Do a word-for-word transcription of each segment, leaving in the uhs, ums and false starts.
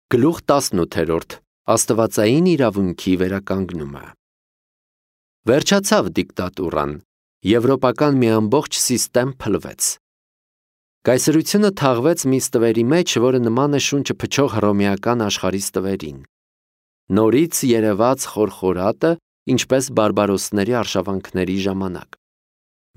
Գլուխ տասնութերորդ Աստվածային իրավունքի վերականգնումը։ Վերջացավ դիկտատուրան, եվրոպական մի ամբողջ սիստեմ փլվեց։ Կայսրությունը թաղվեց մի ստվերի մեջ, որը նման է շունչը փչող հռոմեական աշխարհի ստվերին։ Նորից երևաց խորխորատը, ինչպես բարբարոսների արշավանքների ժամանակ։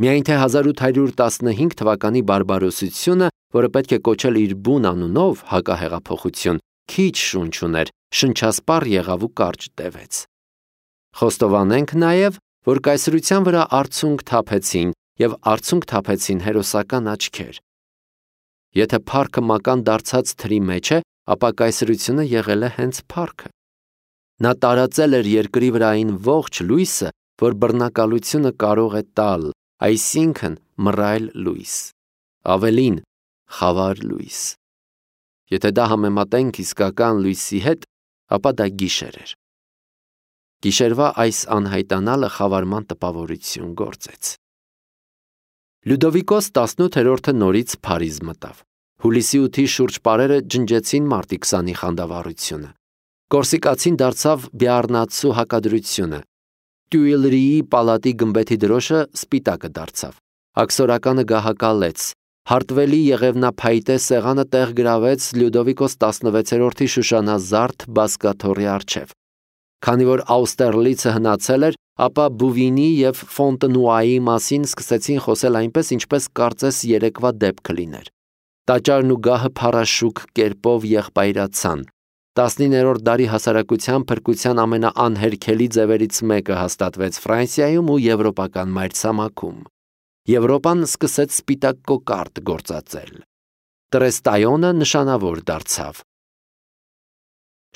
Միայն թե հազար ութ հարյուր տասնհինգ թվականի բարբարոսությունը, որը պետք է կոչել իր բուն անունով հակահեղափոխություն, քիչ շունչ ուներ, շնչասպառ եղավ ու կարճ տևեց։ Խոստովանենք նաև, որ կայսրության վրա արցունք թափեցին և արցունք թափեցին հերոսական աչքեր։ Եթե փառքը մական դարձած թրի մեջ է, ապա կայսրությունը եղել է հենց փառքը։ Նա տարածել էր երկրի վրա այն ողջ լույսը, որ բռնակալությունը կարող է տալ, այսինքն մռայլ լույս, ավելին, խավար լույս։ Եթե դա համեմատենք իսկական լույսի հետ, ապա դա գիշեր էր։ Գիշերվա այս անհայտանալը խավարման տպավորություն գործեց։ Լյուդովիկոս տասնութերորդը նորից Փարիզ մտավ։ Հուլիսի ութի շուրջ պարերը ջնջեցին մարտի քսանի խանդավառությունը։ Կորսիկացին դարձավ Բիառնացու հակադրությունը։ Տյուիլրիի պալատի գմբեթի դրոշը սպիտակը դարձավ։ Աքսորականը գահակալեց։ Հարտվելի եղևնափայտե սեղանը տեղ գրավեց Լյուդովիկոս տասնվեցերորդի շուշանազարդ բազկաթոռի առջև։ Քանի որ Աուստերլիցը հնացել էր, ապա Բուվինի և Ֆոնտենուայի մասին սկսեցին խոսել այնպես, ինչպես կարծես երեկվա դեպքը լիներ։ Տաճարն ու գահը փառաշուք կերպով եղբայրացան։ Տասնիններորդ դարի հասարակության փրկության ամենաանհերքելի ձևերից մեկը հաստատվեց Ֆրանսիայում ու եվրոպական մայրցամաքում։ Եվրոպան սկսեց սպիտակ կոկարդ գործածել։ Տրեստայոնը նշանավոր դարձավ։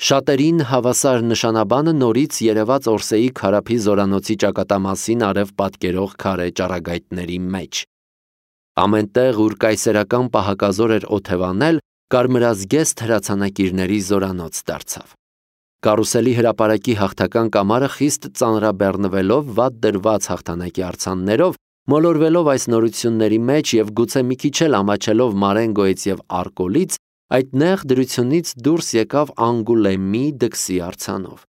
Շատերին հավասար նշանաբանը նորից երևաց Օրսեի քարափի զորանոցի ճակատամասին արև պատկերող քարե ճառագայթների մեջ։ Ամենտեղ, ուր կայսերական պահակազոր էր օթևանել, կարմրազգեստ հրացանակիրների զորանոց դարձավ։ Կարուսելի հրապարակի հաղթական կամարը խիստ ծանրաբեռնվելով, վատ դրված հաղթանակի արձաններով, մոլորվելով այս նորությունների մեջ և գուցե մի քիչ էլ ամաչելով Մարենգոյից և Արկոլից, այդ նեղ դրությունից դուրս եկավ Անգուլեմի դքսի արձանով։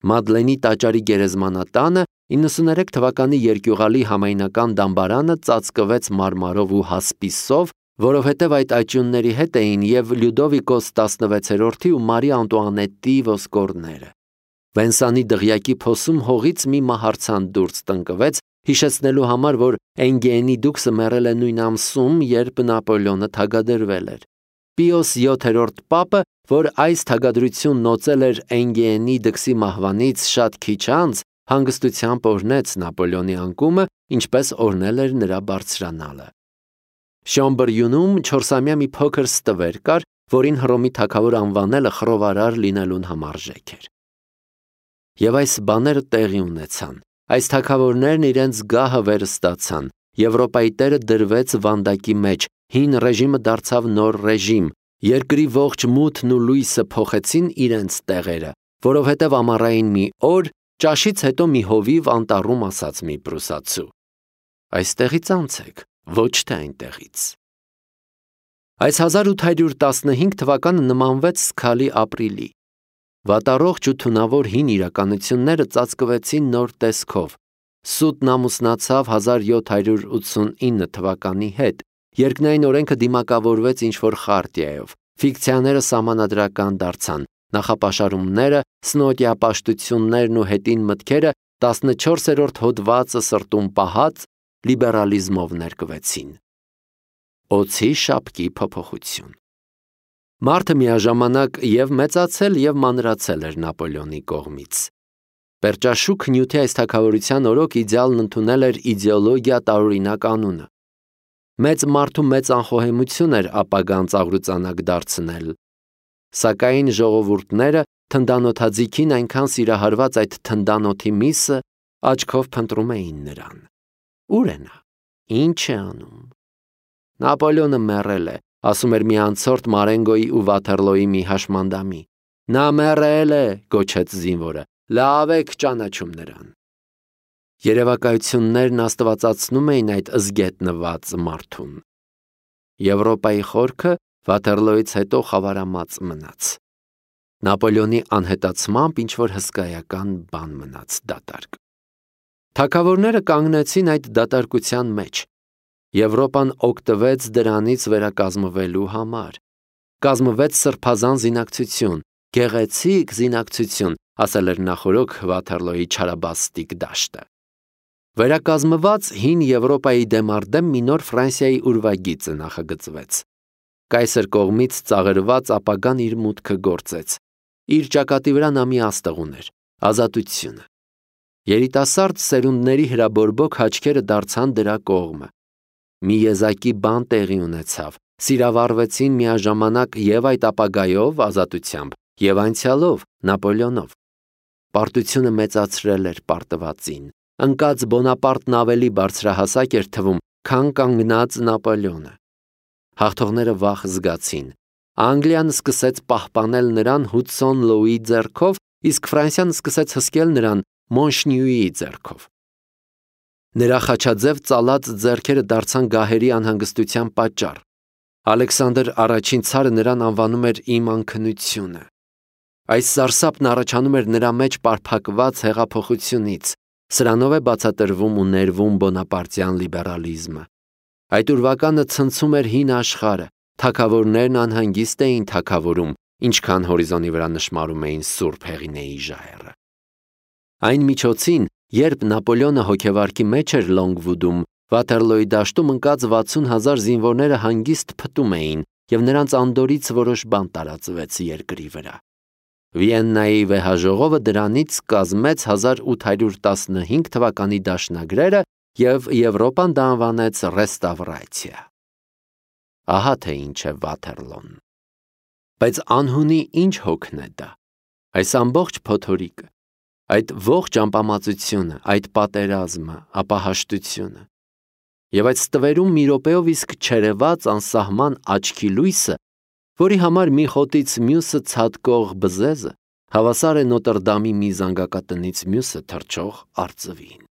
Մադլենի տաճարի գերեզմանատանը իննսուներեք թվականի երկյուղալի համայնական դամբարանը ծածկվեց մարմարով ու հասպիսով, որովհետև այդ աճյունների հետ էին և Լյուդովիկոս տասնվեցերորդի ու Մարի Անտուանետի ոսկորները։ Վենսանի դղյակի փոսում հողից մի մահարձան դուրս տնկվեց, հիշեցնելու համար, որ Էնգիենի դուքսը մեռել է նույն ամսում, երբ Նապոլեոնը թագադրվել էր։ Պիոս յոթերորդ պապը, որ այս թագադրությունն օծել էր Էնգիենի դքսի մահվանից շատ քիչ անց, հանգստությամբ օրհնեց Նապոլեոնի անկումը, ինչպես օրհնել էր նրա բարձրանալը։ Շամբրյունում չորսամյա մի փոքր ստվեր կար, որին Հռոմի թագավոր անվանելը խռովարար լինելուն համարժեք էր։ Եվ այս բաները տեղի ունեցան։ Այս թագավորներն իրենց գահը վերստացան։ Եվրոպայի տերը դրվեց վանդակի մեջ, հին ռեժիմը դարձավ նոր ռեժիմ, երկրի ողջ մութն ու լույսը փոխեցին իրենց տեղերը, որովհետև ամառային մի օր, ճաշից հետո մի հովիվ անտառում ասաց մի պրուսացու. «Այստեղից անցեք, ոչ թե այնտեղից»։ Այս հազար ութ հարյուր տասնհինգ թվականը նմանվեց սգալի ապրիլի։ Վատառողջ ու թունավոր հին իրականությունները ծածկվեցին նոր տեսքով։ Սուտն ամուսնացավ հազար յոթ հարյուր ութսունինը թվականի հետ, երկնային օրենքը դիմակավորվեց ինչ-որ խարտիայով, ֆիկցիաները սահմանադրական դարձան, նախապաշարումները, սնոտիապաշտություններն ու հետին մտքերը տասնչորսերորդ հոդվածը սրտում պահած լիբերալիզմով ներկվեցին։ Օձի շապկի փոփոխություն։ Մարդը միաժամանակ և մեծացել և մանրացել էր Նապոլեոնի կողմից։ Պերճաշուք նյութի այս թագավորության օրոք իդեալն ընդունել էր իդեոլոգիա տարօրինակ անունը։ Մեծ մարդու մեծ անխոհեմություն էր ապագան ծաղրուծանակ դարձնել։ Սակայն ժողովուրդները թնդանոթաձիգին այնքան սիրահարված այդ թնդանոթի միսը աչքով փնտրում էին նրան։ Ո՞ւր է նա, ի՞նչ է անում։ Նապոլեոնը մեռել է, ասում էր մի անցորդ Մարենգոյի ու Վաթերլոյի մի հաշմանդամի։ Նա մեռել է, գոչեց զինվորը, լավ եք ճանաչում նրան։ Երևակայություններն աստվածացնում էին այդ զգետնված մարդուն։ Եվրոպայի խորքը Վաթերլոյից հետո խավարամած մնաց։ Նապոլեոնի անհետացմամբ ինչ-որ հսկայական բան մնաց դատարկ։ Թագավորները կանգնեցին այդ դատարկության մեջ։ Եվրոպան օգտվեց դրանից վերակազմվելու համար։ Կազմվեց սրբազան զինակցություն, գեղեցիկ զինակցություն, ասել էր նախորոք Վաթերլոյի չարաբաստիկ դաշտը։ Վերակազմված հին Եվրոպայի դեմ արդեմ մի նոր Ֆրանսիայի ուրվագիծը նախագծվեց։ Կայսեր կողմից ծաղրված ապագան իր մուտքը գործեց։ Իր ճակատի վրա նա մի աստղ ուներ՝ ազատությունը։ Երիտասարդ սերունդների հրաբորբոք աչքերը դարձան դրա կողմը։ Մի եզակի բան տեղի ունեցավ, սիրավառվեցին միաժամանակ և այդ ապագայով ազատությամբ, և անցյալով Նապոլեոնով։ Պարտությունը մեծացրել էր պարտվածին, ընկած Բոնապարտն ավելի բարձրահասակ էր թվում, քան կանգնած Նապոլեոնը։ Հաղթողները վախ զգացին։ Անգլիան սկսեց պահպանել նրան Հուդսոն Լոուի ձեռքով, իսկ Ֆրանսիան սկսեց հսկել նրան Մոնշնյուի ձեռքով։ Նրա խաչաձև ծալած ձեռքերը դարձան գահերի անհանգստության պատճառ։ Ալեքսանդր առաջին ցարը նրան անվանում էր «Իմ անքնությունը»։ Այս սարսափն առաջանում էր նրա մեջ պարփակված հեղափոխությունից։ Սրանով է բացատրվում ու ներվում բոնապարտյան լիբերալիզմը։ Այդ ուրվականը ցնցում էր հին աշխարհը, թագավորներն անհանգիստ էին թագավորում, ինչքան հորիզոնի վրա նշմարում էին Սուրբ Հեղինեի ժայռը։ Այն միջոցին, երբ Նապոլեոնը հոգեվարքի մեջ էր Լոնգվուդում, Վաթերլոյի դաշտում ընկած վաթսուն հազար զինվորները հանգիստ փտում էին, և նրանց անդորից որոշ բան տարածվեց երկրի վրա։ Վիեննայի վեհաժողովը դրանից կազմեց հազար ութ հարյուր տասնհինգ թվականի դաշնագրերը և Եվրոպան դա անվանեց ռեստավրացիա։ Ահա թե ինչ է Վաթերլոն։ Բայց անհունի ինչ հոգն է դա։ Այս ամբողջ փոթորիկը, այդ ողջ ամպամածությունը, այդ պատերազմը, ապահաշտությունը։ Եվ այդ ստվերում մի րոպեով իսկ չերևաց անսահման աչքի լույսը, որի համար մի խոտից մյուսը ցատկող բզեզը հավասար է Նոտրդամի մի զանգակատնից մյուսը թռչող արծվին։